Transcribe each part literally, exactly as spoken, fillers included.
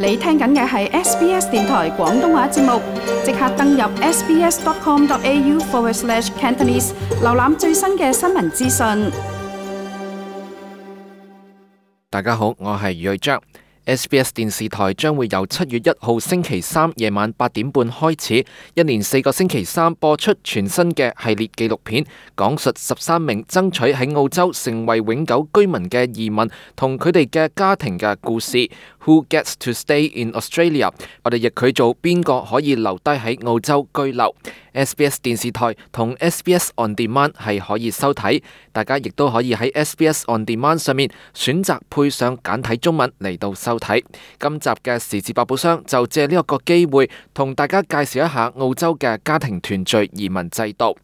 你聽緊嘅係 S B S 電台廣東話節目，即刻登入 sbs.com.au forward slash Cantonese， 瀏覽最新嘅新聞資訊。大家好，我係余瑞章。S B S 電視台將會由七月一號星期三夜晚八點半開始，一連四個星期三播出全新嘅系列紀錄片，講述十三名爭取喺澳洲成為永久居民嘅移民同佢哋嘅家庭嘅故事。Who gets to stay in Australia？ 我哋譯佢做邊個可以留低喺澳洲居留。S B S 電視台同 S B S On Demand 係可以收睇，大家亦都可以喺 S B S On Demand 上面選擇配上簡體中文嚟到收睇。今集嘅時事百寶箱就借呢一個機會同大家介紹一下澳洲嘅家庭團聚移民制度。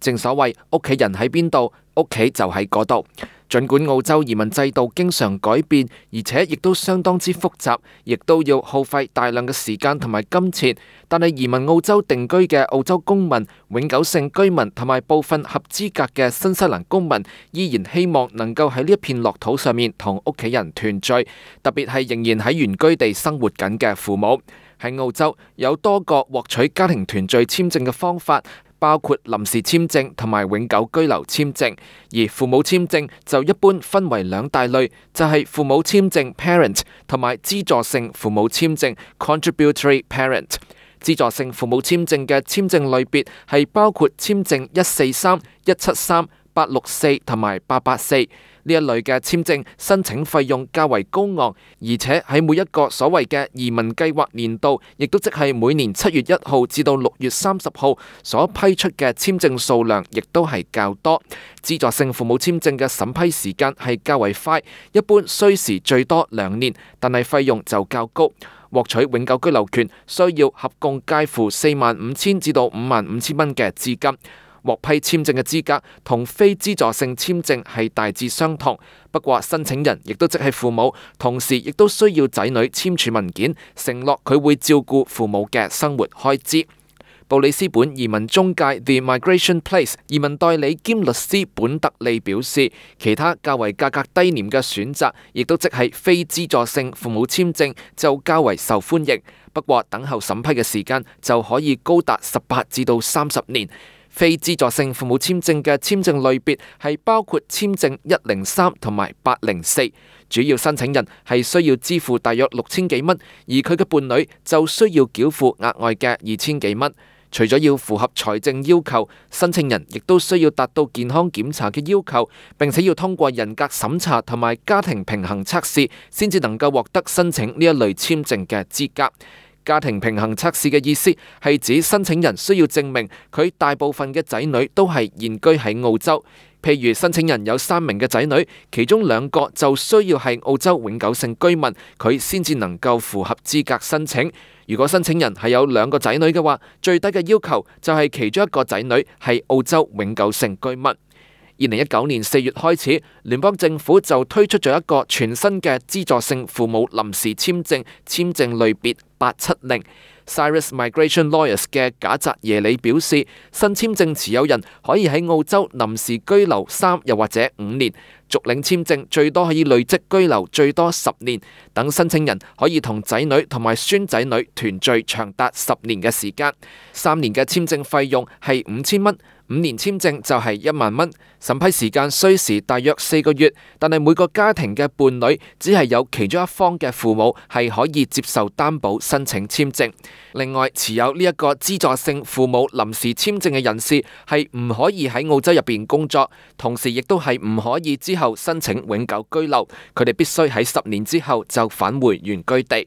正所謂屋企人喺邊度，屋企就喺嗰度。儘管澳洲移民制度經常改變，而且亦都相當之複雜，亦都要耗費大量嘅時間同埋金錢，但係移民澳洲定居嘅澳洲公民、永久性居民同埋部分合資格嘅新西蘭公民，依然希望能夠喺呢一片樂土上面同屋企人團聚，特別係仍然喺原居地生活緊嘅父母。喺澳洲有多個獲取家庭團聚簽證嘅方法，包括臨時簽證同埋永久居留簽證，而父母簽證就一般分為兩大類，就係父母簽證 parent 同埋資助性父母簽證 contributory parent。資助性父母簽證嘅簽證類別係包括簽證一四三、一七三、八六四同埋八八四。呢一類嘅簽證申請費用較為高昂，而且喺每一個所謂嘅移民計劃年度，亦都即係每年七月一號至到六月三十號所批出嘅簽證數量，亦都係較多。資助性父母簽證嘅審批時間係較為快，一般需時最多兩年，但係費用就較高。獲取永久居留權需要合共介乎四萬五千至到五萬五千蚊嘅資金。獲批簽證嘅資格同非資助性簽證係大致相同，不過申請人亦都即係父母，同時亦都需要仔女簽署文件，承諾佢會照顧父母嘅生活開支。布里斯本移民中介 The Migration Place 移民代理兼律師本特利表示，其他較為價格低廉嘅選擇，亦都即係非資助性父母簽證就較為受歡迎，不過等候審批嘅時間就可以高達十八至到三十年。非資助性父母簽證嘅簽證類別係包括簽證一零三同埋八零四，主要申請人係需要支付大約六千幾蚊，而佢嘅伴侶就需要繳付額外嘅二千幾蚊。除咗要符合財政要求，申請人亦都需要達到健康檢查嘅要求，並且要通過人格審查同埋家庭平衡測試，先至能夠獲得申請呢一類簽證嘅資格。家庭平衡測試嘅意思係指申請人需要證明佢大部分嘅仔女都係現居喺澳洲。譬如申請人有三名嘅仔女，其中兩個就需要係澳洲永久性居民，佢先至能夠符合資格申請。如果申請人係有兩個仔女嘅話，最低嘅要求就係其中一個仔女係澳洲永久性居民。二零一九年四月開始，聯邦政府就推出咗一個全新嘅資助性父母臨時簽證簽證類別八七零。Cyrus Migration Lawyers 嘅賈澤耶里表示，新簽證持有人可以喺澳洲臨時居留三又或者五年，續領簽證最多可以累積居留最多十年，等申請人可以同仔女同埋孫仔女團聚長達十年嘅時間。三年嘅簽證費用係五千蚊。五年簽證就係一萬蚊，審批時間需時大約四個月，但係每個家庭嘅伴侶只係有其中一方嘅父母係可以接受擔保申請簽證。另外，持有呢一個資助性父母臨時簽證嘅人士係唔可以喺澳洲入邊工作，同時亦都係唔可以之後申請永久居留，佢哋必須喺十年之後就返回原居地。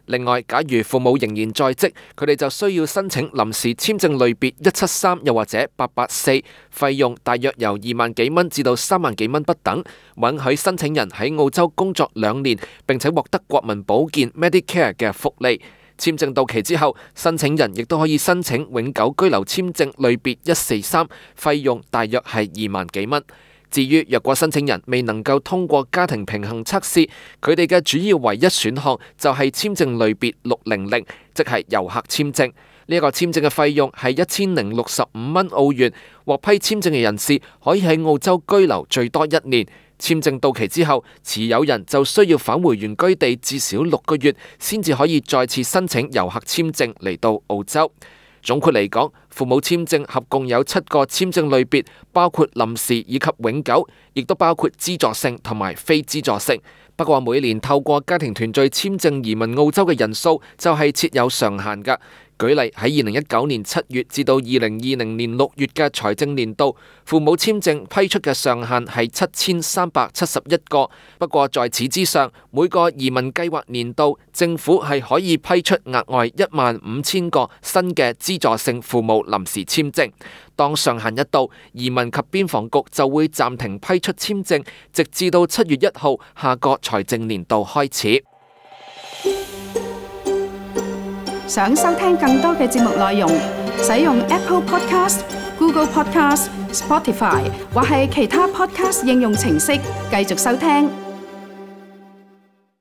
另外，假如父母仍然在職，佢哋就需要申請臨時簽證類別一七三又或者八八四，費用大約由二萬幾蚊至到三萬幾蚊不等，允許申請人喺澳洲工作兩年，並且獲得國民保健 Medicare 嘅福利。簽證到期之後，申請人亦都可以申請永久居留簽證類別一四三，費用大約係二萬幾蚊。至於若果申請人未能夠通過家庭平衡測試，佢哋嘅主要唯一選項就係簽證類別六零零，即係遊客簽證。呢一個簽證嘅費用係一千零六十五蚊澳元，獲批簽證嘅人士可以喺澳洲居留最多一年，簽證到期之後，持有人就需要返回原居地至少六個月，先至可以再次申請遊客簽證嚟到澳洲。總括嚟講，父母簽證合共有七個簽證類別，包括臨時以及永久，亦都包括資助性同埋非資助性。不過每年透過家庭團聚簽證移民澳洲嘅人數就係設有上限㗎。舉例喺二零一九年七月至到二零二零年六月嘅財政年度，父母簽證批出嘅上限係七千三百七十一個。不過在此之上，每個移民計劃年度，政府係可以批出額外一萬五千個新嘅資助性父母臨時簽證。當上限一到，移民及邊防局就會暫停批出簽證，直至到七月一號下個財政年度開始。想收聽更多嘅節目內容，使用 Apple Podcast、Google Podcast、Spotify 或係其他 Podcast 應用程式繼續收聽。